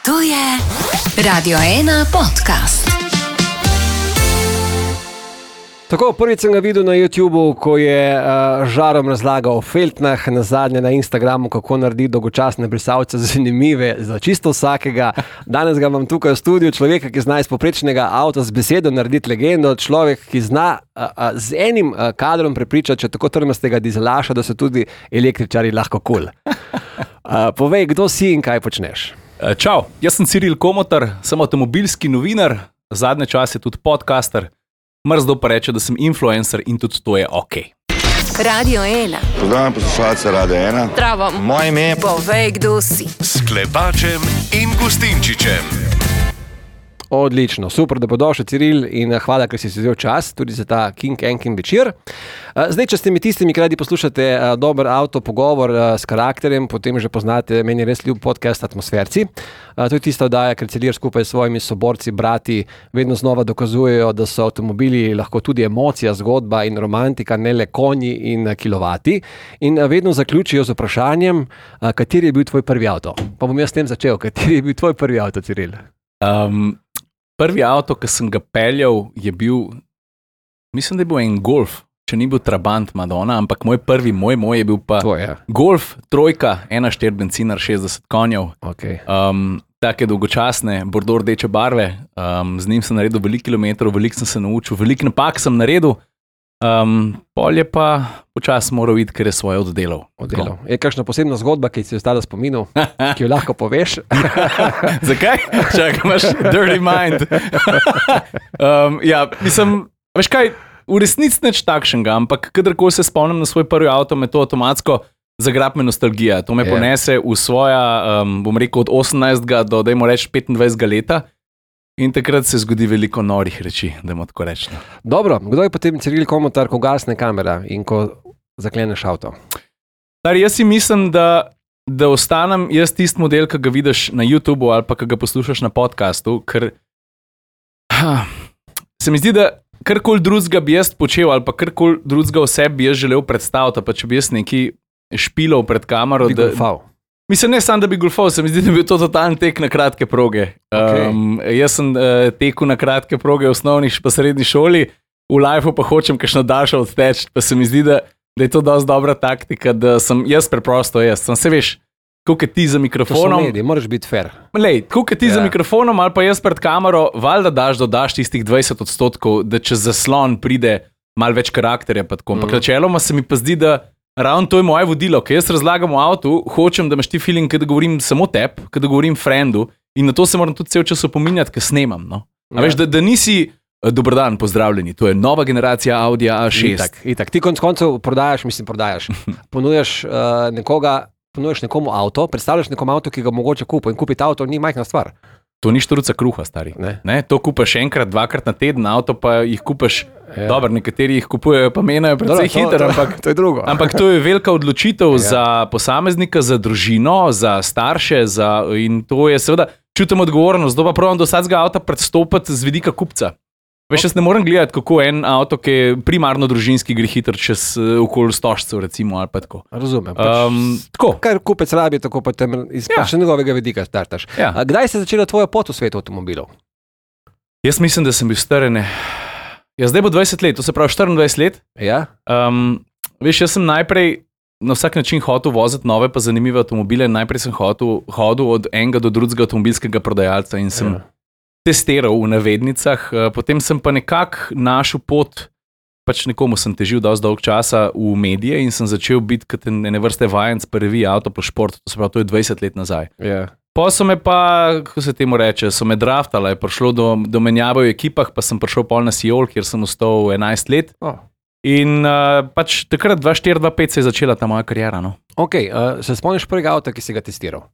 To je Radio 1 podcast. Tako, prvič sem ga videl na YouTubu, ko je žarom razlagal o feltnah, nazadnje na Instagramu, kako narediti dolgočasne brisalce zanimive za čisto vsakega. Danes ga imam tukaj v studiu, človeka, ki zna iz povprečnega avta z besedo narediti legendo, človek, ki zna z enim kadrom prepričati, če tako trmastega dizelaša, da so tudi električari lahko kul. Povej, kdo si in kaj počneš? Čau, jaz sem Ciril Komotar, sem avtomobilski novinar, zadnje čase tudi podcaster. Mrzdo pa reče, da sem influencer in tudi to je ok. Radio 1. Pozdravljam poslušalce Radio 1. Zdravo. Moje ime je... Povej, kdo si. S Klepačem in Gustinčičem. Odlično, super, da podošel, Ciril, in hvala, ker si vzel čas tudi za ta King Enkin večer. Zdaj, če ste mi tistimi, ki radi poslušate dober avtopogovor s karakterjem, potem že poznate, meni je res ljub podcast Atmosferci. To je tista oddaja, ker Cilir skupaj s svojimi soborci, brati, vedno znova dokazujejo, da so avtomobili lahko tudi emocija, zgodba in romantika, ne le konji in kilovati. In vedno zaključijo z vprašanjem, kateri je bil tvoj prvi avto. Pa bom jaz s tem začel, kateri je bil tvoj prvi avto, Ciril? Prvi avto, ki sem ga peljal, je bil, mislim, da je bil en Golf, če ni bil Trabant Madonna, ampak moj je bil pa Golf, trojka, 1.4 bencinar, 60 konjev. Okay. Take dolgočasne, bordo rdeče barve, z njim sem naredil veliko kilometrov, veliko sem se naučil, veliko napak sem naredil, pol je pa počas moral iti, ker je svoje oddelal. Je kakšna posebna zgodba, ki si ostala spominil, ki jo lahko poveš? Zakaj? Čakaj, imaš dirty mind. Mislim, veš kaj, v resnici nič takšnega, ampak kadarkoli se spomnim na svoj prvi avto, me to avtomatsko zagrab me nostalgija. To me ponese v svoja, bom rekel, od 18. do, dajmo reči, 25. leta. In takrat se zgodi veliko norih reči, da mu tako rečem. Dobro, kdo je potem Ciril Komotar, ko gasne kamera in ko zakleneš avto? Jaz si mislim, da ostanem jaz tisti model, ki ga vidiš na YouTubu ali pa ki ga poslušaš na podcastu, ker se mi zdi, da karkoli drugega bi jaz počel ali pa karkoli drugega o sebi bi jaz želel predstaviti, pa če bi jaz neki špilov pred kamero, bi golfal. Mislim, ne samo, da bi golfal, se mi zdi, da bi to totalni tek na kratke proge. Okay. Jaz sem tekel na kratke proge v osnovni pa srednji šoli, v lifeu pa hočem kakšno daljšo odteč, pa se mi zdi, da je to dosti dobra taktika, da sem jaz preprosto jaz. Sem se veš, koliko je ti za mikrofonom. To so mediji, moraš biti fair. Lej, koliko je ti za mikrofonom ali pa jaz pred kamero, valjda dodaš tistih 20%, da čez zaslon pride malo več karakterja. Ampak načeloma se mi pa zdi, da ravno to je moje vodilo, ker jaz razlagam v avtu, hočem, da imaš ti feeling, da govorim samo tebi, da govorim friendu in na to se moram tudi cel čas opominjati, ker snemam. No? A veš, da nisi dober dan, pozdravljeni, to je nova generacija Audi A6. Itak. Ti konec koncev prodajaš, ponujaš nekomu avto, predstavljaš nekomu avto, ki ga mogoče kupi in kupiti avto ni majhna stvar. To ni štruca kruha, stari. Ne? To kupaš enkrat, dvakrat na teden, avto pa jih kupaš, dobro, nekateri jih kupujejo pa menajo precej hitro, ampak to je drugo. Ampak to je velika odločitev za posameznika, za družino, za starše, in to je seveda, čutim odgovornost, pa pravim do vsakega avta predstopiti z vidika kupca. Veš, jaz ne morem gledati, kako en avto, ki je primarno družinski, gre hitro čez okoli stožcev, recimo, ali pa tako. Razumem. Tako. Kar kupec rabi, tako pa tem iz njegovega vidika startaš. Ja. Kdaj se je začela tvoja pot v svetu avtomobilov? Jaz mislim, da sem bil star, zdaj bo 20 let, to se pravi 24 let. Ja. Veš, jaz sem najprej na vsak način hotel voziti nove pa zanimive avtomobile. Najprej sem hodil od enega do drugega avtomobilskega prodajalca in sem testiral v navednicah, potem sem pa nekako našel pot, pač nekomu sem težil dosti dolg časa v medije in sem začel biti kot ene vrste vajenc pa revije Auto plus Šport, to se pravi, to je 20 let nazaj. Pa so me pa, kako se temu reče, so me draftala, je prišlo do menjave v ekipah, pa sem prišel pol na Seoul, kjer sem ostal 11 let. In pač takrat 2004-2005 se je začela ta moja kariera. No. Ok, se spomniš prvega avta, ki si ga testiral?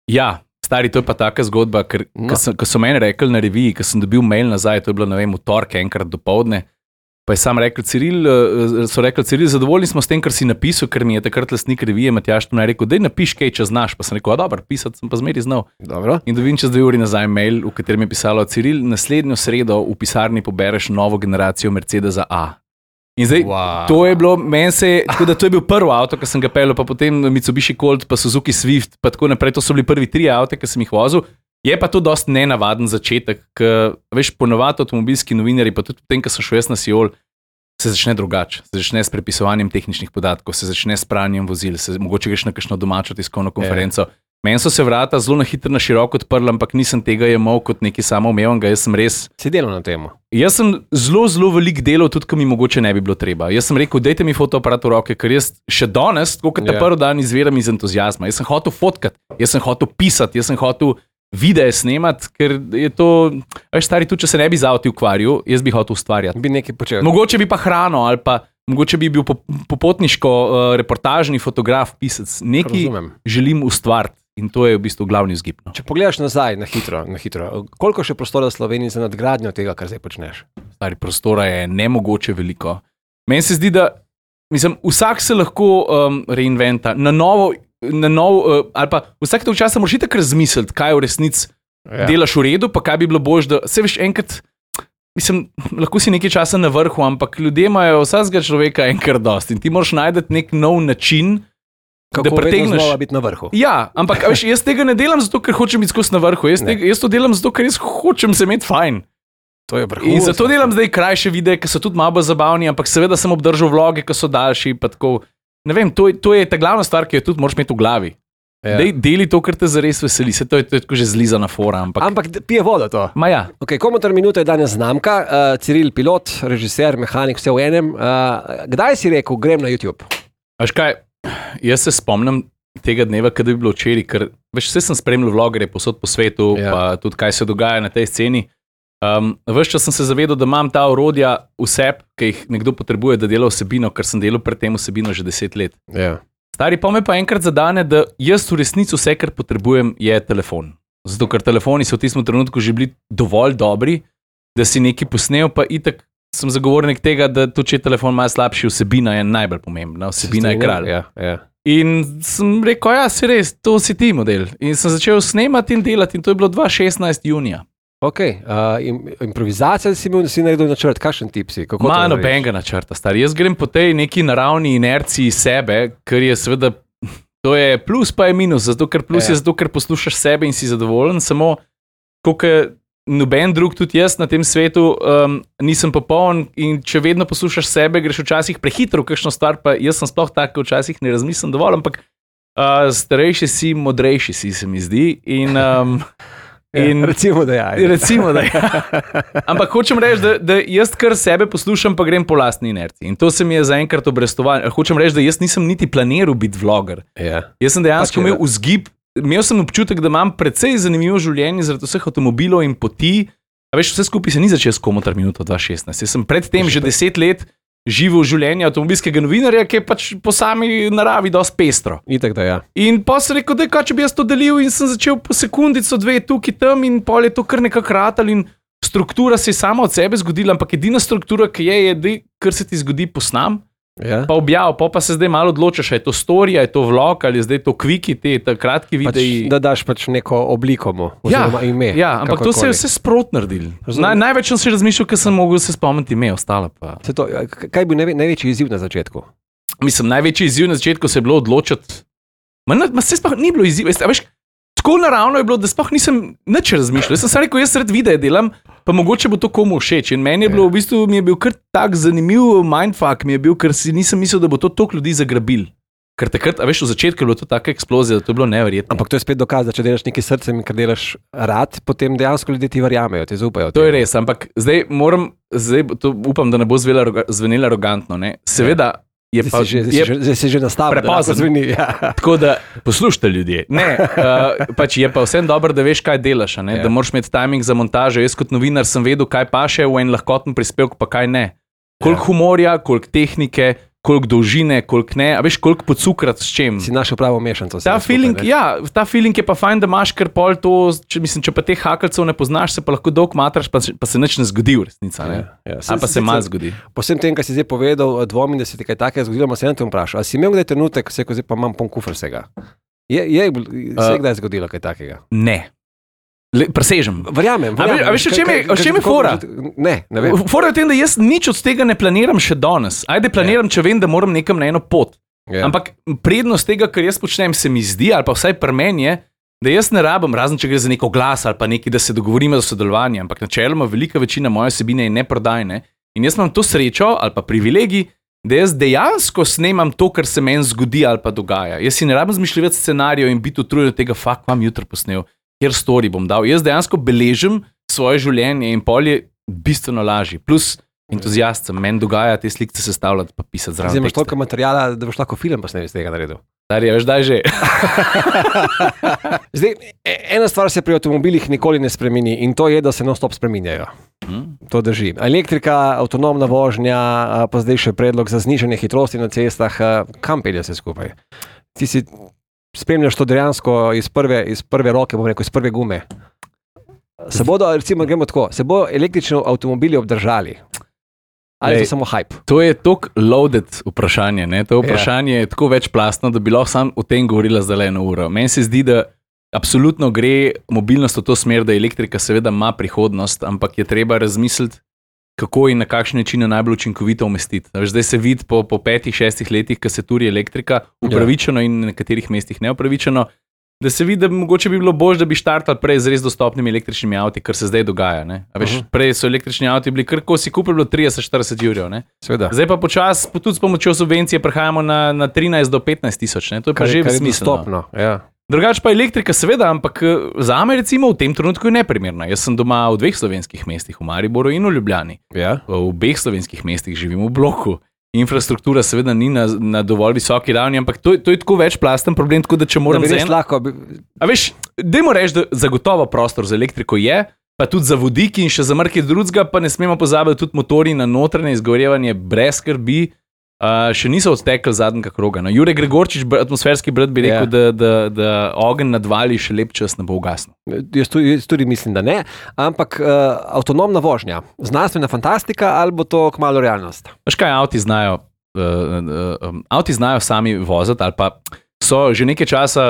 Ja. Stari, to je pa taka zgodba, ker ko so meni rekli na reviji, ko sem dobil mail nazaj, to je bilo, ne vem, v torek enkrat dopoldne, pa je sam rekel Ciril, zadovoljni smo s tem, kar si napisal, ker mi je takrat lastnik revije Matjaž Tone rekel, daj napiš kaj, če znaš, pa sem rekel, dobro, pisati sem pa zmeri znal. Dobro. In dobim čez 2 uri nazaj mail, v katerem je pisalo, Ciril, naslednjo sredo v pisarni pobereš novo generacijo Mercedesa A. In zdaj, to je bilo, tako da to je bil prvi avto, ki sem ga peljal, pa potem Mitsubishi Colt, pa Suzuki Swift, pa tako naprej, to so bili prvi 3 avte, ki sem jih vozil. Je pa to dosti nenavaden začetek, ker veš, ponovadi avtomobilski novinarji, pa tudi potem, ko sem šel jaz na Siol, se začne drugače. Se začne s prepisovanjem tehničnih podatkov, se začne s pranjem vozil, mogoče greš na kakšno domačo tiskovno konferenco. Meni so se vrata zelo na hitro, na široko odprla, ampak nisem tega jemal kot nekaj samoumevnega. Jaz sem res. Si delal na tem? Jaz sem zelo velik delal, tudi ko mi mogoče ne bi bilo treba. Jaz sem rekel, dajte mi fotoaparat v roke, ker jaz še danes, tako kot ta prvi dan, izviram iz entuziazma. Jaz sem hotel fotkati, jaz sem hotel pisati, jaz sem hotel videe snemati, ker je to, veš, stari, tudi če se ne bi z avti ukvarjal, jaz bi hotel ustvarjati. Bi nekaj počel. Mogoče bi pa hrano ali pa mogoče bi bil popotniško reportažni fotograf, pisec. Nekaj želim ustvariti. In to je v bistvu glavni vzgib. No. Če pogledaš nazaj, na hitro, koliko še prostora v Sloveniji za nadgradnjo tega, kar zdaj počneš? Stari, prostora je nemogoče veliko. Meni se zdi, da vsak se lahko reinventa na novo, ali pa vsak tog časa moraš itak razmisliti, kaj v resnici delaš v redu, pa kaj bi bilo boljše, da se veš enkrat, lahko si nekaj časa na vrhu, ampak ljudje imajo vsakega človeka enkrat dosti in ti moraš najti nek nov način, kako da pretegneš biti na vrhu. Ja, ampak veš, jaz tega ne delam zato, ker hočem biti skozi na vrhu. Jaz to delam zato, ker jaz hočem se imeti fajn. To je vrhunsko. In zato delam zdaj krajše videe, ki so tudi malo zabavni, ampak seveda sem obdržal vloge, ki so daljši. Ne vem, to je ta glavna stvar, ki jo tudi moraš imeti v glavi. Ja. Deli to, kar te zares veseli. To je tako že zlizana fora. Ampak pije vodo to. Ma ja. Okay, Komentar minuta je danes znamka. Ciril, pilot, režiser, mehanik, vse v enem. Kdaj si rekel, grem na YouTube? Veš kaj? Jaz se spomnim tega dneva, kada bi bilo včeraj, ker veš, vse sem spremljal vlogerje posod po svetu, pa tudi kaj se dogaja na tej sceni. Ves čas sem se zavedal, da imam ta orodja vse, ki jih nekdo potrebuje, da dela vsebino, ker sem delal pred tem vsebino že 10 let. Yeah. Stari pa me pa enkrat zadane, da jaz v resnici vse, kar potrebujem, je telefon. Zato, ker telefoni so v tistem trenutku že bili dovolj dobri, da si nekaj posnel, pa itak sem zagovornik tega, da tudi če je telefon malo slabši, vsebina je najbolj pomembna, vsebina je kralj. Ja. In sem rekel, ja, si res, to si ti model. In sem začel snemati in delati in to je bilo 2016 junija. Ok, improvizacija si imel, da si naredil načrt, kakšen tip si? Ma nobenega načrta, stari. Jaz grem po tej neki naravni inerciji sebe, ker je seveda, to je plus pa je minus, zato ker plus je zato, ker poslušaš sebe in si zadovoljen, samo koliko noben drug, tudi jaz na tem svetu nisem popoln in če vedno poslušaš sebe, greš včasih prehitro v kakšno stvar, pa jaz sem sploh tak, včasih ne razmislim dovolj, ampak starejši si, modrejši si, se mi zdi. Recimo, da je. Recimo, da je. Ampak hočem reči, da jaz kar sebe poslušam, pa grem po lastni inerciji. In to se mi je zaenkrat obrestovalo. Hočem reči, da jaz nisem niti planiral biti vloger. Yeah. Jaz sem dejansko imel vzgib. Imel sem občutek, da imam precej zanimivo življenje zaradi vseh avtomobilov in poti. A veš, vse skupaj se ni začel s Komentar minuto 2016. Jaz sem predtem že 10 let živel življenje avtomobilskega novinarja, ki je pač po sami naravi dosti pestro. Itak da, ja. In pa sem rekel, da je kaj, če bi jaz to delil in sem začel po sekundico, dve tukaj tam in pol je to kar nekako ratal in struktura se je sama od sebe zgodila, ampak edina struktura, ki je, kar se ti zgodi, posnam. Ja. Pa objav, pa se zdaj malo odločaš, je to storija, je to vlog ali je zdaj to kviki, te kratki videi. Da daš pač neko obliko mu, oziroma ime. Ja, ampak to se je vse sprot naredil. Največ sem si razmišljal, ker sem mogel se spomniti ime, ostalo pa. Kaj je bil največji izziv na začetku? Mislim, največji izziv na začetku se je bilo odločiti. Se sploh ni bilo izziv, veš, tako naravno je bilo, da sploh nisem nič razmišljal. Jaz sem se rekel, jaz sred videa delam, pa mogoče bo to komu všeč. In meni je bilo v bistvu, mi je bil kar tak zanimiv mindfuck, mi je bil, ker si nisem mislil, da bo to toliko ljudi zagrabil. Ker takrat, veš, v začetku je bilo to taka eksplozija, da to je bilo neverjetno. Ampak to je spet dokaz, da če delaš nekaj srcem in kar delaš rad, potem dejansko ljudje ti verjamejo, ti zaupajo. To je res, ampak zdaj to upam, da ne bo zvenelo arogantno, ne. Seveda, Zdaj se že nastavlja, da se zveni. Ja. Tako da poslušajte ljudje. Pač je pa vsem dobro, da veš, kaj delaš, da moraš imeti timing za montažo. Jaz kot novinar sem vedel, kaj paše v en lahkoten prispevek, pa kaj ne. Koliko humorja, koliko tehnike, koliko dolžine, koliko ne, a veš, koliko pocukrati s čem. Si našel pravo mešanico. Ta feeling je pa fajn, da imaš, ker pol to, če pa teh hakalcev ne poznaš, se pa lahko dolg matraš, pa se nič ne zgodi v resnica. A pa se malo zgodi. Po vsem tem, kar si zdaj povedal, dvomim, da se ti kaj takega zgodilo, se ne te vprašal. A si imel kdaj trenutek, ko se zdaj pa imam poln kufr vsega? Se je kdaj zgodilo kaj takega? Ne. Presežem. Verjamem. A veš, o čem je fora? Ne vem. Fora je v tem, da jaz nič od tega ne planiram še danes. Ajde planiram, če vem, da moram nekam na eno pot. Ampak prednost tega, kar jaz počnem, se mi zdi, ali pa vsaj pri meni je, da jaz ne rabim, razen če gre za neko glas ali pa nekaj, da se dogovorimo za sodelovanje, ampak načeloma velika večina moje vsebine je neprodajne in jaz imam to srečo ali pa privilegij, da jaz dejansko snemam to, kar se meni zgodi ali pa dogaja. Jaz si ne rabim zmišljati scenarijev in biti utrujen od tega, vam jutro posnel, kjer story bom dal. Jaz dejansko beležim svoje življenje in pol je bistveno lažji. Plus entuzijast sem, meni dogaja te slikce sestavljati pa pisati zraven. Zdaj imaš toliko materijala, da boš lahko film posnel iz tega naredil. Darja, veš, daj že. Zdaj, ena stvar se pri avtomobilih nikoli ne spremeni in to je, da se non-stop spreminjajo. To drži. Elektrika, avtonomna vožnja, pa zdaj še predlog za znižanje hitrosti na cestah, kam pelje se skupaj? Ti si spremljaš to dejansko iz prve roke, bom rekel, iz prve gume. Se bodo, recimo, gremo tako, se bodo električni avtomobili obdržali? Ali je to samo hype? To je tako loaded vprašanje. Ne? To vprašanje je tako večplastno, da bi lahko sam o tem govorila zdaj 1 uro. Meni se zdi, da absolutno gre mobilnost v to smer, da elektrika seveda ima prihodnost, ampak je treba razmisliti, kako in na kakšen način najbolj učinkovito umestiti. Zdaj se vidi po 5-6 letih, ko se turi elektrika, upravičeno in na nekaterih mestih neupravičeno, da se vidi, da mogoče bi bilo bolje, da bi štartali prej z res dostopnimi električnimi avti, kar se zdaj dogaja. Veš, prej so električni avti bili kar, ko si kupil, bilo 30-40 jurjev. Zdaj pa počasi, tudi s pomočjo subvencije, prehajamo na 13 do 15 tisoč. To je pa že smiselno. Drugače pa elektrika, seveda, ampak za me recimo v tem trenutku je neprimerna. Jaz sem doma v 2 slovenskih mestih, v Mariboru in v Ljubljani. V obeh slovenskih mestih živim v bloku. Infrastruktura seveda ni na dovolj visoki ravni, ampak to je tako večplasten problem, tako da če moram A veš, dajmo reči, da zagotovo prostor za elektriko je, pa tudi za vodiki in še za marsikaj drugega, pa ne smemo pozabiti tudi motorji na notranje izgorevanje brez skrbi, še niso odtekli zadnjega kroga. No, Jure Gregorčič, atmosferski brat, bi rekel, da ogenj nadvali še lep čas ne bo ugasnil. Jaz tudi mislim, da ne, ampak avtonomna vožnja, znanstvena fantastika ali bo to kmalu realnost? Veš kaj, avti znajo sami voziti ali pa so že nekaj časa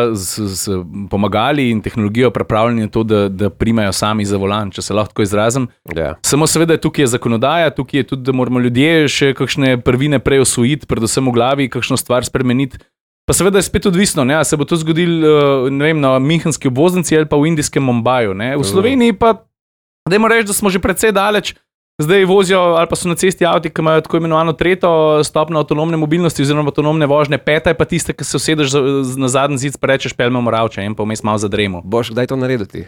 pomagali in tehnologijo pripravljeni na to, da primajo sami za volan, če se lahko tako izrazim. Samo seveda tukaj je zakonodaja, tukaj je tudi, da moramo ljudje še kakšne prvine prej osvojiti, predvsem v glavi, kakšno stvar spremeniti. Pa seveda je spet odvisno, se bo to zgodilo na Münchenski obvoznici ali pa v indijskem Mumbaju. V Sloveniji pa, dajmo reči, da smo že precej daleč. Zdaj vozijo ali pa so na cesti avti, ki imajo tako imenovano 3. stopnjo avtonomne mobilnosti oziroma avtonomne vožnje, 5. je pa tista, ki se usedeš na zadnji zid, pa rečeš, peljemo Moravče in pa vmes malo zadremo. Boš kdaj to naredil ti?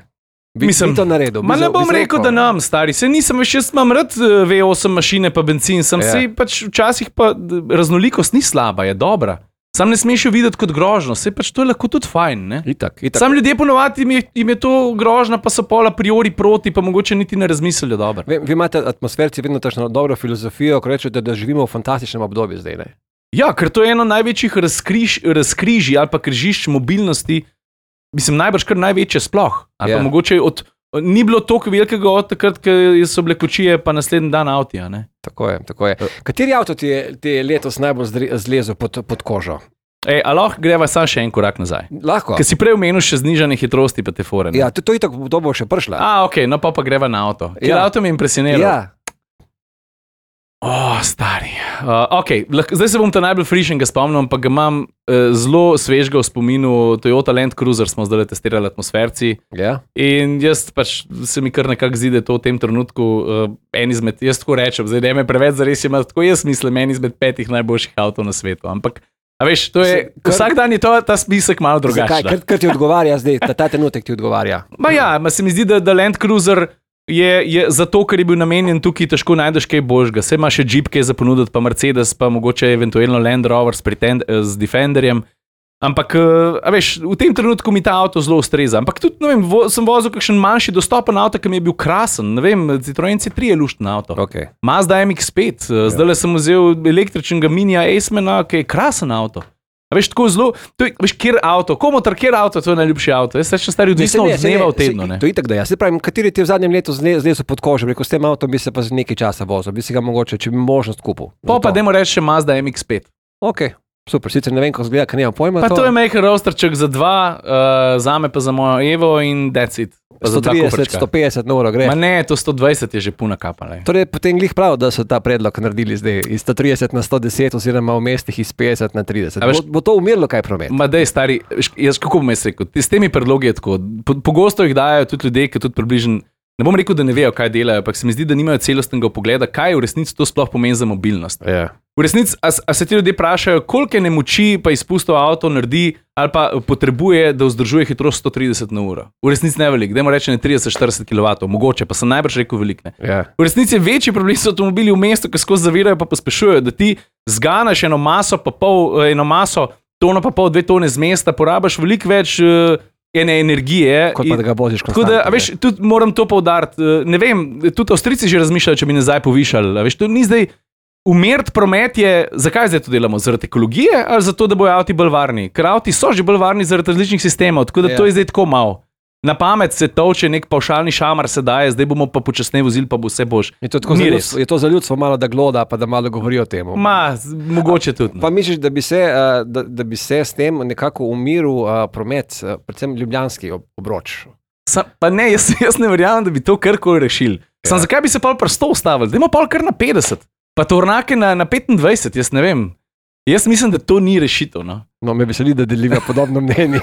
Mislim, to naredil. Ma ne bom rekel, da nam, stari. Se nisem več, jaz imam rad V8 mašine pa benzin, sem si pač včasih pa raznolikost ni slaba, je dobra. Sam ne smeš jo videti kot grožno, se pač to je lahko tudi fajn, ne? Itak. Sam ljudje ponovadi jim je to grožna, pa so pol a priori proti, pa mogoče niti ne razmislijo dobro. Vi imate atmosferci vedno takšno dobro filozofijo, ko rečete, da živimo v fantastičnem obdobju zdaj, ne? Ja, ker to je eno največjih razkrižij ali pa križišč mobilnosti, mislim, najbrž kar največje sploh. Ali pa mogoče ni bilo toliko velikega od takrat, ko so bile kočije, pa naslednji dan avtija, ne? Tako je. Kateri avto ti je letos najbolj zlezel pod kožo? A lahko greva samo še en korak nazaj. Lahko. Ker si prej omenil še znižanje hitrosti pa te fore. Ja, to itak to bo še prišla. Ok, no pa greva na avto. Ker avto mi je impresioniral. Ja. Stari. Zdaj se bom ta najbolj frišenega spomnil, ampak ga imam zelo svežega v spominu. Toyota Land Cruiser smo zdaj testirali atmosferci. In jaz pač se mi kar nekako zdi, da je to v tem trenutku en izmed, jaz tako rečem, zdaj ne me preveč zares ima, tako jaz mislim, en izmed 5 najboljših avtov na svetu. Ampak, a veš, to je, vsak dan je ta spisek malo drugačen. Zakaj? Ker ti odgovarja zdaj, ta trenutek ti odgovarja. Se mi zdi, da Land Cruiser je zato, ker je bil namenjen tukaj, težko najdeš kaj božga. Saj ima še Jeep, ki je za ponuditi, pa Mercedes, pa mogoče eventualno Land Rover z Defenderjem. Ampak, a veš, v tem trenutku mi ta avto zelo ustreza. Ampak tudi, ne vem, sem vozil kakšen manjši dostopen avto, ki mi je bil krasen. Ne vem, Citroen C3 je lušten avto. Mazda MX-5, zdaj sem vzel električnega Minija Acemana, ki je krasen avto. A veš, tako zelo, veš, kjer avto, kjer avto, to je najljubši avto. Jaz sem stari odvisno od dneva v tednu, ne? To je itak, da ja. Se pravim, kateri ti v zadnjem letu zlezel pod kožo, rekel, s tem avtom bi se pa z nekaj časa vozil, bi si ga mogoče, če bi možnost kupil. Pa dajmo reči še Mazda MX-5. Super, sicer ne vem, kako zgleda, ker nimam pojma. Pa to je majhen rosterček za 2, zame pa za mojo Evo in that's it. 130, 150 na uro gre. Ma ne, to 120 je že puna kapa. Torej, potem glih prav, da so ta predlog naredili zdaj iz 130 na 110 oziroma v mestih iz 50 na 30. Bo to umirilo kaj promet? Ma dej, stari, jaz kako bom jaz rekel, s temi predlogi je tako, pogosto jih dajo tudi ljudje, ki tudi približno, ne bom rekel, da ne vejo, kaj delajo, ampak se mi zdi, da nimajo celostnega pogleda, kaj v resnici to sploh pomeni za mobilnost. Ja. V resnici, a se ti ljudje vprašajo, koliko nemoči pa izpustov avto naredi ali pa potrebuje, da vzdržuje hitrost 130 na uro. V resnici ne velik, dajmo reči ne 30-40 kW, mogoče, pa sem najbrž rekel velik. Ja. V resnici je večji problem so avtomobili v mestu, ki skozi zavirajo pa pospešujejo, da ti zganaš eno maso, tono pa pol, 2 tone z mesta, porabiš veliko več ene energije. Kot pa da ga voziš konstantno. Tako da, veš, tudi moram to poudariti, ne vem, tudi Avstrijci že razmišljajo, če bi nazaj povišali, veš, to ni zdaj. Umiriti promet je, zakaj zdaj to delamo? Zaradi ekologije ali zato, da bojo avti bolj varni? Ker avti so že bolj varni zaradi različnih sistemov, tako da to je zdaj tako malo. Na pamet se toče, nek pavšalni šamar se daje, zdaj bomo pa počasneje vozili, pa bo vse bož. Je to za ljudstvo malo, da gloda, pa da malo govori o tem? Mogoče tudi. Pa misliš, da bi se s tem nekako umiril promet, predvsem ljubljanski obroč? Pa ne, jaz ne verjamem, da bi to karkoli rešili. Zakaj bi se pa pri 100 ustavili? Dajmo pa kar na 50. Pa tornake na 25, jaz ne vem. Jaz mislim, da to ni rešitev. No, me veseli, da deliva podobno mnenje.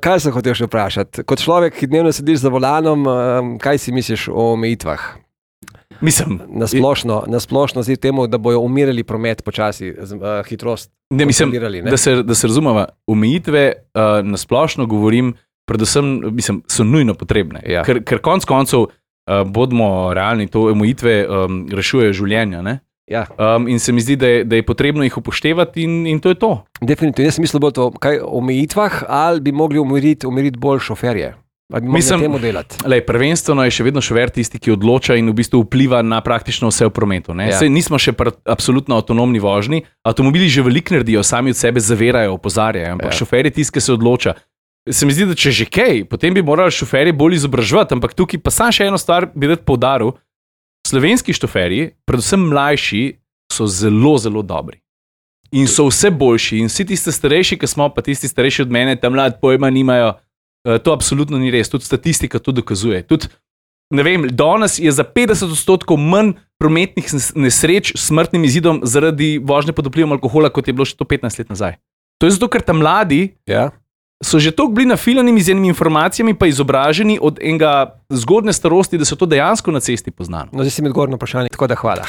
Kaj sem hotel še vprašati? Kot človek, ki dnevno sediš za volanom, kaj si misliš o omejitvah? Mislim. Na splošno zdi temu, da bojo umirali promet počasi, hitrost. Ne, mislim, da se razumeva. Omejitve na splošno govorim, predvsem mislim, so nujno potrebne. Ja. Ker konc koncev bodimo realni, to omejitve rešujejo življenja. Ne? Ja. In se mi zdi, da je potrebno jih upoštevati in to je to. Definitivno. Jaz sem mislil bolj to, kaj o omejitvah, ali bi mogli umiriti bolj šoferje. Ali bi mogli na temu delati? Prvenstveno je še vedno šofer tisti, ki odloča in v bistvu vpliva na praktično vse v prometu. Ja. Sej nismo še absolutno avtonomni vožnji. Avtomobili že veliko naredijo, sami od sebe zavirajo, opozarjajo, ampak šofer je tisti, ki se odloča. Se mi zdi, da če že kaj, potem bi morali šoferji bolj izobraževati, ampak tukaj pa sam še eno stvar bi rad poudaril. Slovenski šoferji, predvsem mlajši, so zelo, zelo dobri. In so vse boljši. In vsi tisti starejši, ki smo, pa tisti starejši od mene, tam mlad pojma nimajo, to absolutno ni res. Tudi statistika to dokazuje. Tudi, ne vem, danes je za 50% manj prometnih nesreč s smrtnim izidom zaradi vožnje pod vplivom alkohola, kot je bilo še to 15 let nazaj. To je zato, ker tam mladi so že toliko bili nafiljeni z enimi informacijami, pa izobraženi od enega zgodne starosti, da so to dejansko na cesti poznali. No, zdaj si mi odgovoril na vprašanje, tako da hvala.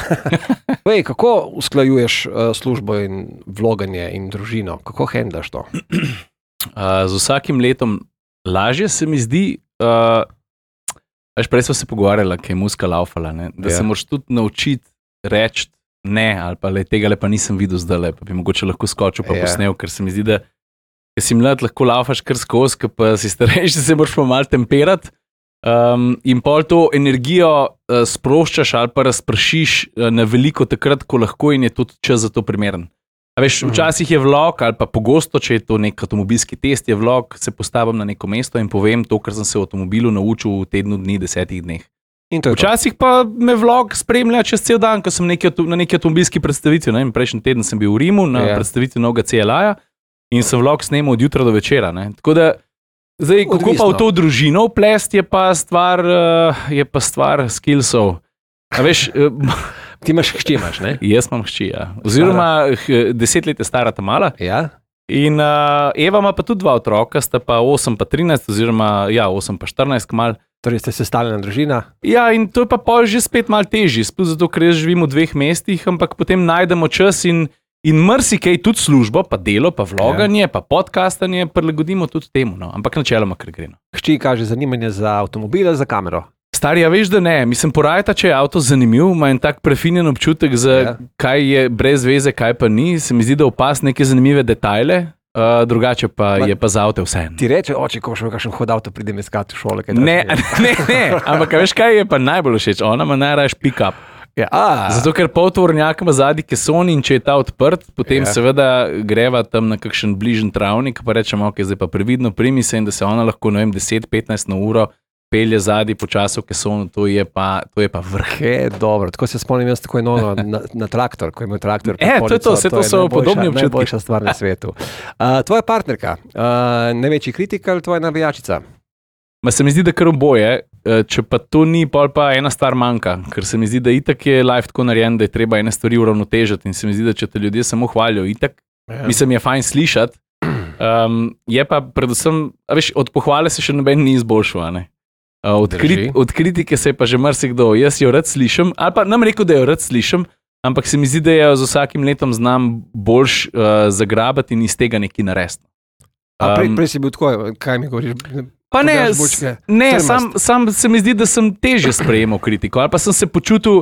Vej, kako usklajuješ službo in vloganje in družino? Kako handlaš to? Z vsakim letom lažje se mi zdi, prej smo se pogovarjali, kaj je muska laufala, da se moraš tudi naučiti reči ne, ali pa tega pa nisem videl zdaj, pa bi mogoče lahko skočil pa posnel, ker se mi zdi, da ker si mlad, lahko laufaš kar skozi, ker pa si starejši, se moraš pa malo temperati in pol to energijo sproščaš ali pa razpršiš na veliko takrat, ko lahko in je tudi čas za to primeren. A veš, včasih je vlog ali pa pogosto, če je to nek avtomobilski test, je vlog, se postavim na neko mesto in povem to, kar sem se v avtomobilu naučil v tednu dni, 10 dneh. Včasih pa me vlog spremlja čez cel dan, ko sem na neki avtomobilski predstavitvi. Prejšnji teden sem bil v Rimu na predstavitvi novega CLA-ja. In sem vlog snemal od jutra do večera. Tako da, zdaj, kako pa v to družino vplest, je pa stvar skillsov. A veš, ti imaš hči, ne? Jaz imam hči, ja. Oziroma 10 let je stara ta mala. Ja. In Eva ima pa tudi 2 otroka, sta pa 8 pa 13, oziroma 8 pa 14 kmal. Torej ste sestavljena družina? Ja, in to je pa pol že spet malo težji, sploh zato, ker jaz živim v 2 mestih, ampak potem najdemo čas in marsikaj, tudi službo, pa delo, pa vloganje, pa podcastanje, prilagodimo tudi temu, ampak načeloma, ker gre. Hči kaže zanimanje za avtomobile, za kamero? Stari, ja veš, da ne. Mislim, porajta, če je avto zanimiv, ima en tak prefinjen občutek za kaj je brez veze, kaj pa ni. Se mi zdi, da opaz neke zanimive detajle, drugače pa je pa za avto vse. Ti reče, oče, ko še kakšen hod avto pridem iskati v šole? Ne, ampak veš, kaj je pa najbolj všeč? Ona ima najraje pick-up. Zato, ker poltovornjak ima zadnji keson in če je ta odprt, potem seveda greva tam na kakšen bližen travnik, pa rečemo, ok, zdaj pa previdno primi se in da se ona lahko, 10-15 na uro pelje zadnji počasno v kesonu, to je pa vrh. Dobro, tako se spomnim jaz tako na traktor, ko je imel traktor. To so podobni občutki. Najboljša stvar na svetu. Tvoja partnerka, največji kritik ali tvoja navijačica? Se mi zdi, da kar oboje, če pa to ni, pa ena stvar manjka, ker se mi zdi, da itak je life tako narejen, da je treba ene stvari uravnotežiti in se mi zdi, da če te ljudje samo hvalijo, itak, mislim, je fajn slišati, je pa predvsem, od pohvale se še noben ni izboljšal, ne? Od kritike se je pa že marsikdo, jaz jo rad slišim, ali pa nam rekel, da jo rad slišim, ampak se mi zdi, da jo z vsakim letom znam boljš zagrabati in iz tega nekaj narediti. Prej si bil tako, kaj mi govoriš? Pa sam se mi zdi, da sem težje sprejemal kritiko, ali pa sem se počutil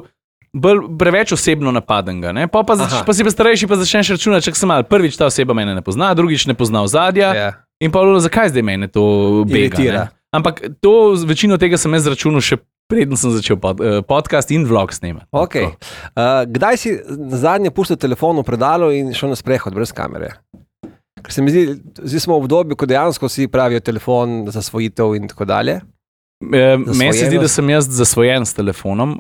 preveč osebno napadenega. Pa si pa starejši, pa začneš računati, čak sem mal, prvič ta oseba mene ne pozna, drugič ne pozna ozadja in pa zakaj zdaj mene to bega. Ampak to, večino tega sem jaz računal še preden sem začel podcast in vlog snemati. Okay. Kdaj si zadnje pustil telefon v predalu in šel na sprehod brez kamere? Ker se mi zdi, zdaj smo v obdobju, ko dejansko si pravijo telefon, zasvojitev in tako dalje. Meni se zdi, da sem jaz zasvojen s telefonom.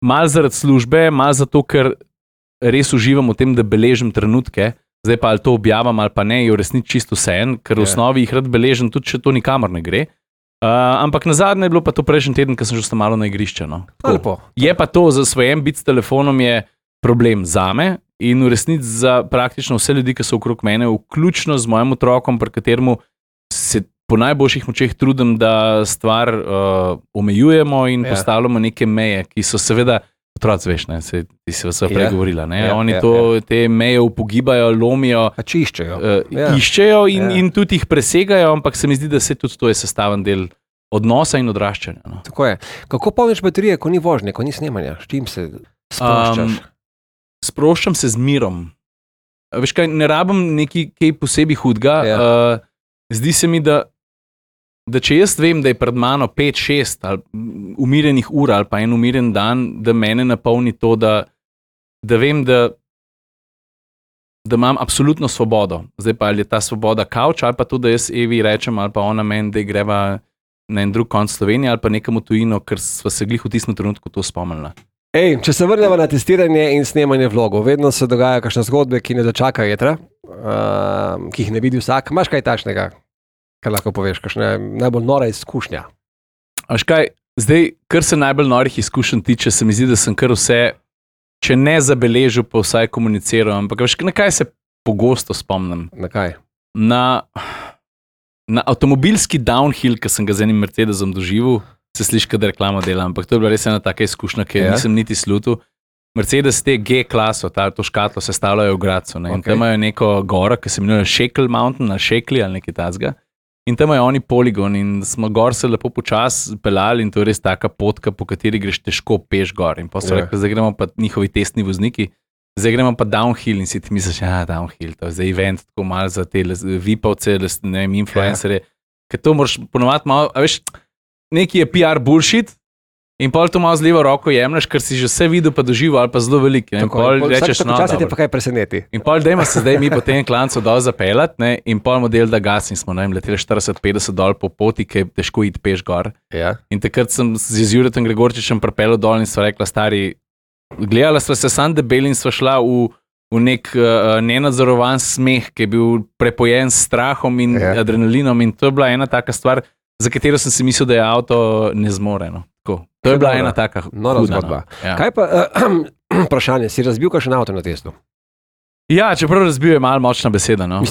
Mal zaradi službe, mal zato, ker res uživam v tem, da beležim trenutke. Zdaj pa ali to objavim ali pa ne, je v resnici čisto vseeno, ker v osnovi jih rad beležim, tudi če to nikamor ne gre. Ampak nazadnje je bilo pa to prejšnji teden, ko sem že malo na igrišče. No. Je pa to, zasvojen biti s telefonom je problem zame. In v resnici za praktično vse ljudi, ki so okrog mene, vključno z mojim otrokom, pri kateremu se po najboljših močeh trudim, da stvar omejujemo in postavljamo neke meje, ki so seveda, otroci veš, ti si vas prej govorila, oni te meje upogibajo, lomijo, iščejo in tudi jih presegajo, ampak se mi zdi, da se tudi to je sestaven del odnosa in odraščanja. No. Tako je. Kako polniš baterije, ko ni vožnje, ko ni snemanja? S čim se sproščaš? Sproščam se z mirom. Veš kaj, ne rabim nekaj posebej hudga. Zdi se mi, da če jaz vem, da je pred mano 5-6 umirjenih ur ali pa en umirjen dan, da mene napolni to, da vem, da imam absolutno svobodo. Zdaj pa ali je ta svoboda kavč ali pa to, da jaz Evi rečem ali pa ona meni, da greva na en drug konc Slovenije ali pa nekam v tujino, ker sva se glih v tistem trenutku to spomnila. Če se vrnemo na testiranje in snemanje vlogov, vedno se dogaja kakšne zgodbe, ki ne dočakajo jetra, ki jih ne vidi vsak. Imaš kaj takšnega, kar lahko poveš, kakšna najbolj nora izkušnja? Veš kaj, zdaj, kar se najbolj norih izkušenj tiče, se mi zdi, da sem kar vse, če ne zabeležil, pa vsaj komuniciral, ampak veš, na kaj se pogosto spomnim? Na kaj? Na avtomobilski downhill, ki sem ga z enim Mercedesom doživel, se sliši, da reklamo dela, ampak to je bila res ena taka izkušnja, ki nisem niti slutil. Mercedes te G-klaso, to škatlo sestavljajo v Gradcu, in tam imajo neko goro, ki se imenuje Shackle Mountain, ali Shackle ali nekaj tazga. In tam imajo oni poligon in smo gor se lepo počas pelali in to je res taka potka, po kateri greš težko peš gor. In pa so rekli, zdaj gremo pa njihovi testni vozniki, zdaj gremo pa downhill in si ti misliš, downhill, to je zdaj event, tako malo za te vipavce, ne vem, influencerje, ker to moraš ponovati malo, a veš, neki je PR bullshit in pol to malo z levo roko jemlješ, ker si že vse videl pa doživel ali pa zelo velik. In pol rečeš, včasih te pa kaj preseneti. In pol dajmo se zdaj mi po tem klancu dol zapeljati, in pol model da gas in smo leteli 40-50 dol po poti, ki je težko iti peš gor. In takrat sem z Juretom Gregorčičem pripeljal dol in sva rekla, stari, gledala sva se sam debeli in sva šla v nek nenadzorovan smeh, ki je bil prepojen s strahom in adrenalinom in to je bila ena taka stvar, za katero sem si mislil, da je avto nezmoreno. To je bila ena taka nora zgodba. Kaj pa, vprašanje, si razbil kakšen avto na testu? Ja, čeprav razbil je malo močna beseda. No.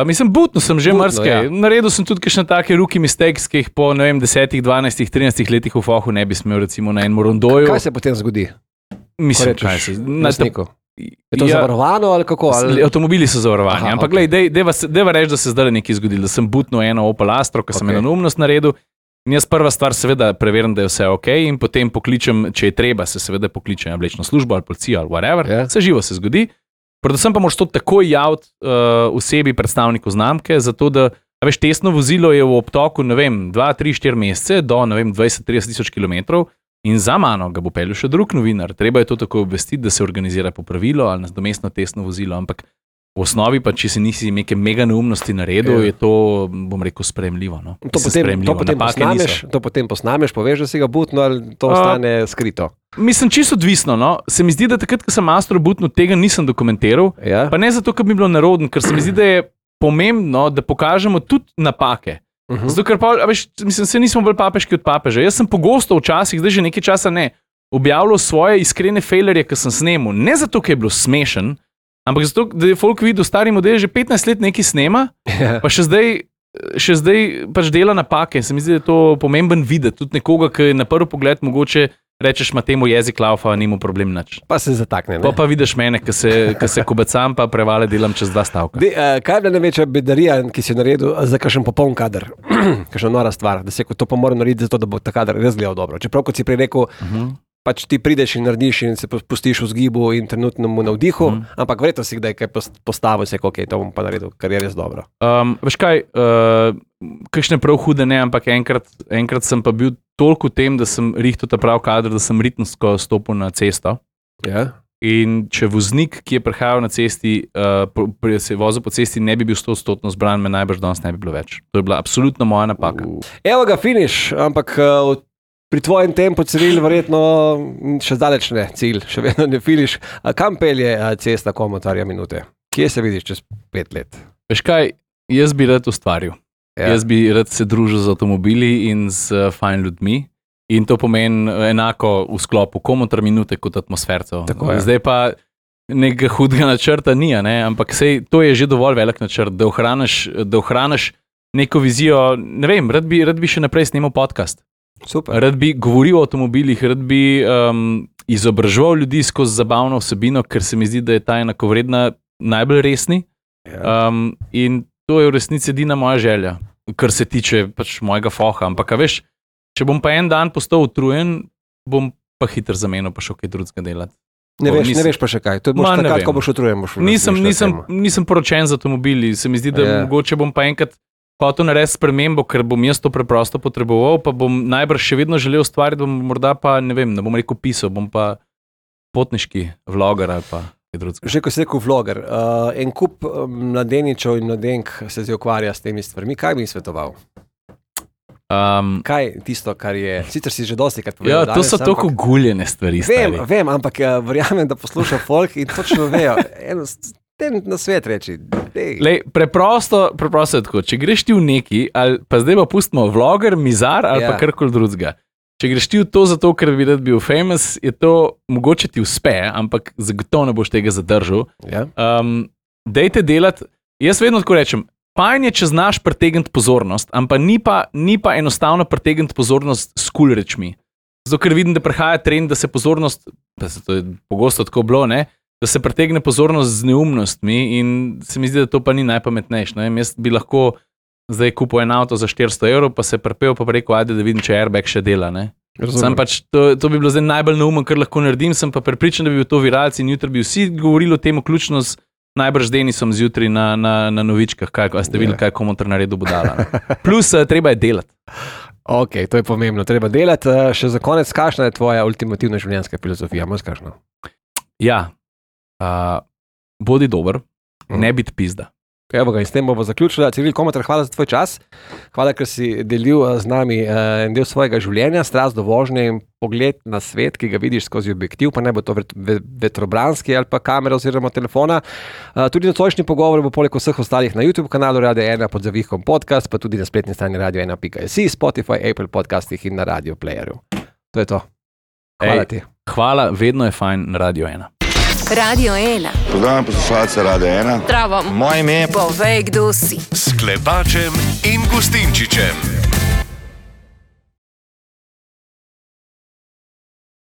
Mislim, butno sem že marsikaj. Naredil sem tudi kakšne take rookie mistakes, ki jih po, 10, 12, 13 letih v fohu ne bi smel, recimo na enem rondoju. Kaj se potem zgodi? Mislim, kaj se zgodi? Je to zavarovano ali kako? Avtomobili so zavarovani. Ampak glej, deva reči, da se zdaj nekaj zgodilo, da sem butno eno Opel Astro, ki sem eno neumnost naredil. In jaz prva stvar seveda preverim, da je vse ok in potem pokličem, če je treba, se seveda pokličem vlečno službo ali policijo ali whatever, vse živo se zgodi. Predvsem pa moraš to takoj javiti osebi, predstavniku znamke, zato da, veš, testno vozilo je v obtoku, 2, 3, 4 mesece do, 20-30 tisoč kilometrov in za mano ga bo peljal še drug novinar. Treba je to tako obvestiti, da se organizira popravilo ali nadomestno testno vozilo, ampak v osnovi pa, če si nisi neke mega neumnosti naredil, je to, bom rekel, sprejemljivo. No? To potem posnameš, poveš, da si ga butno ali to ostane skrito. Mislim, čisto odvisno. No? Se mi zdi, da takrat, ko sem Astro butnil, tega nisem dokumentiral. Ja. Pa ne zato, ker bi bilo nerodno, ker se mi zdi, da je pomembno, da pokažemo tudi napake. Zato, ker pa, se nismo bolj papeški od papeža. Jaz sem pogosto včasih, zdaj že nekaj časa ne, objavljal svoje iskrene failerje, ki sem snemal. Ne zato, ker je bilo smešen, ampak zato, da je folk videl, stari model že 15 let nekaj snema, pa še zdaj pač dela napake. Se mi zdi, da je to pomemben videti. Tudi nekoga, ki na prvi pogled mogoče rečeš, ima temu jezik laufa, nima problem nič. Pa se zatakne. Pa vidiš mene, ki se kobacam, pa prevale delam čez 2 stavka. Kaj je bila največja bedarija, ki si jo naredil za kakšen popoln kader? Kakšna nora stvar, da se to pa mora narediti zato, da bo ta kader res gledal dobro. Čeprav, kot si prej rekel, pač ti prideš in narediš in se pustiš v zgibu in trenutnemu navdihu, ampak verjetno si kdaj kaj postavil, se ok, to bom pa naredil, kar je res dobro. Veš kaj, kakšne prav hude ne, ampak enkrat sem pa bil toliko v tem, da sem rihtal ta prav kader, da sem ritmsko stopil na cesto. Ja. In če voznik, ki je prihajal na cesti, se je vozil po cesti, ne bi bil 100% zbran, me najbrž danes ne bi bilo več. To je bila absolutno moja napaka. Evo ga, finiš, ampak pri tvojem tempu, Ciril, verjetno še zdaleč ne cilj, še vedno ne finiš. Kam pelje cesta Komotarja minute? Kje se vidiš čez 5 let? Veš kaj, jaz bi rad ustvaril. Ja. Jaz bi rad se družil z avtomobili in z fajn ljudmi. In to pomeni enako v sklopu Komotar minute kot atmosfercev. Zdaj pa nekega hudega načrta ni, ne? Ampak sej, to je že dovolj velik načrt, da ohraniš neko vizijo. Ne vem, rad bi še naprej snemal podcast. Super. Rad bi govoril o avtomobilih, rad bi izobraževal ljudi skozi zabavno vsebino, ker se mi zdi, da je ta enakovredna najbolj resni. Ja. In to je v resnici edina moja želja, kar se tiče pač mojega foha. Ampak veš, če bom pa en dan postal utrujen, bom pa hitro zamenil pa še kaj drugega delati. Ne veš pa še kaj. To boš takrat, ko boš utrujen. Nisem poročen z avtomobili. Se mi zdi, da mogoče bom pa enkrat hotel narediti spremembo, ker bom jaz to preprosto potreboval, pa bom najbrž še vedno želel ustvariti, bom morda pa, ne vem, ne bom rekel pisal, bom pa potniški vloger ali pa kaj drugega. Že ko si rekel vloger, en kup mladeničev in mladenk se zdaj ukvarja s temi stvarmi. Kaj bi jim svetoval? Kaj tisto, kar je, sicer si že dosti krat povedal. Ja, to so toliko guljene stvari. Vem, ampak verjamem, da posluša folk in točno vejo. Ten na svet reči. Lej, preprosto je tako. Če greš ti v neki, ali pa zdaj pa pustimo vloger, mizar ali pa karkoli drugega. Če greš ti v to zato, ker bi rad bil famous, je to mogoče ti uspe, ampak zagotovo ne boš tega zadržal. Ja. Dejte delati, jaz vedno tako rečem, fajn je, če znaš pritegniti pozornost, ampak ni pa enostavno pritegniti pozornost s cool rečmi. Zato, ker vidim, da prihaja trend, da se pozornost, pa se to je pogosto tako bilo, ne, da se pritegne pozornost z neumnostmi in se mi zdi, da to pa ni najpametnejše. Jaz bi lahko zdaj kupil en avto za 400 €, pa se prepel, pa rekel, ajde, da vidim, če airbag še dela. Sam pač, to bi bilo zdaj najbolj neumen, kar lahko naredim, sem pa prepričan, da bi bil to viralci in jutri bi vsi govorili o tem, vključno z najbrž Denisom zjutraj na novičkah, a ste videli, kaj Komotar naredil budala. Plus, treba je delati. Ok, to je pomembno, treba delati. Še za konec, kakšna je tvoja ultimativna življenjska filozofija? Ja, bodi dober, ne biti pizda. Evo ga, in s tem bomo zaključili. Ciril Komotar, hvala za tvoj čas. Hvala, ker si delil z nami en del svojega življenja, strast do vožnje in pogled na svet, ki ga vidiš skozi objektiv, pa ne bo to vetrobranski ali pa kamera oziroma telefona. Tudi nocojšnji pogovor bo poleg vseh ostalih na YouTube kanalu Radio 1 pod zavihkom podcast, pa tudi na spletni strani radio1.si, Spotify, Apple podcastih in na Radio Playerju. To je to. Hvala ti. Hvala, vedno je fajn na Radio 1. Radio 1. Pozdravljam poslušalce Radio 1. Zdravo. Moje ime je... Povej, kdo si. S Klepačem in Gustinčičem.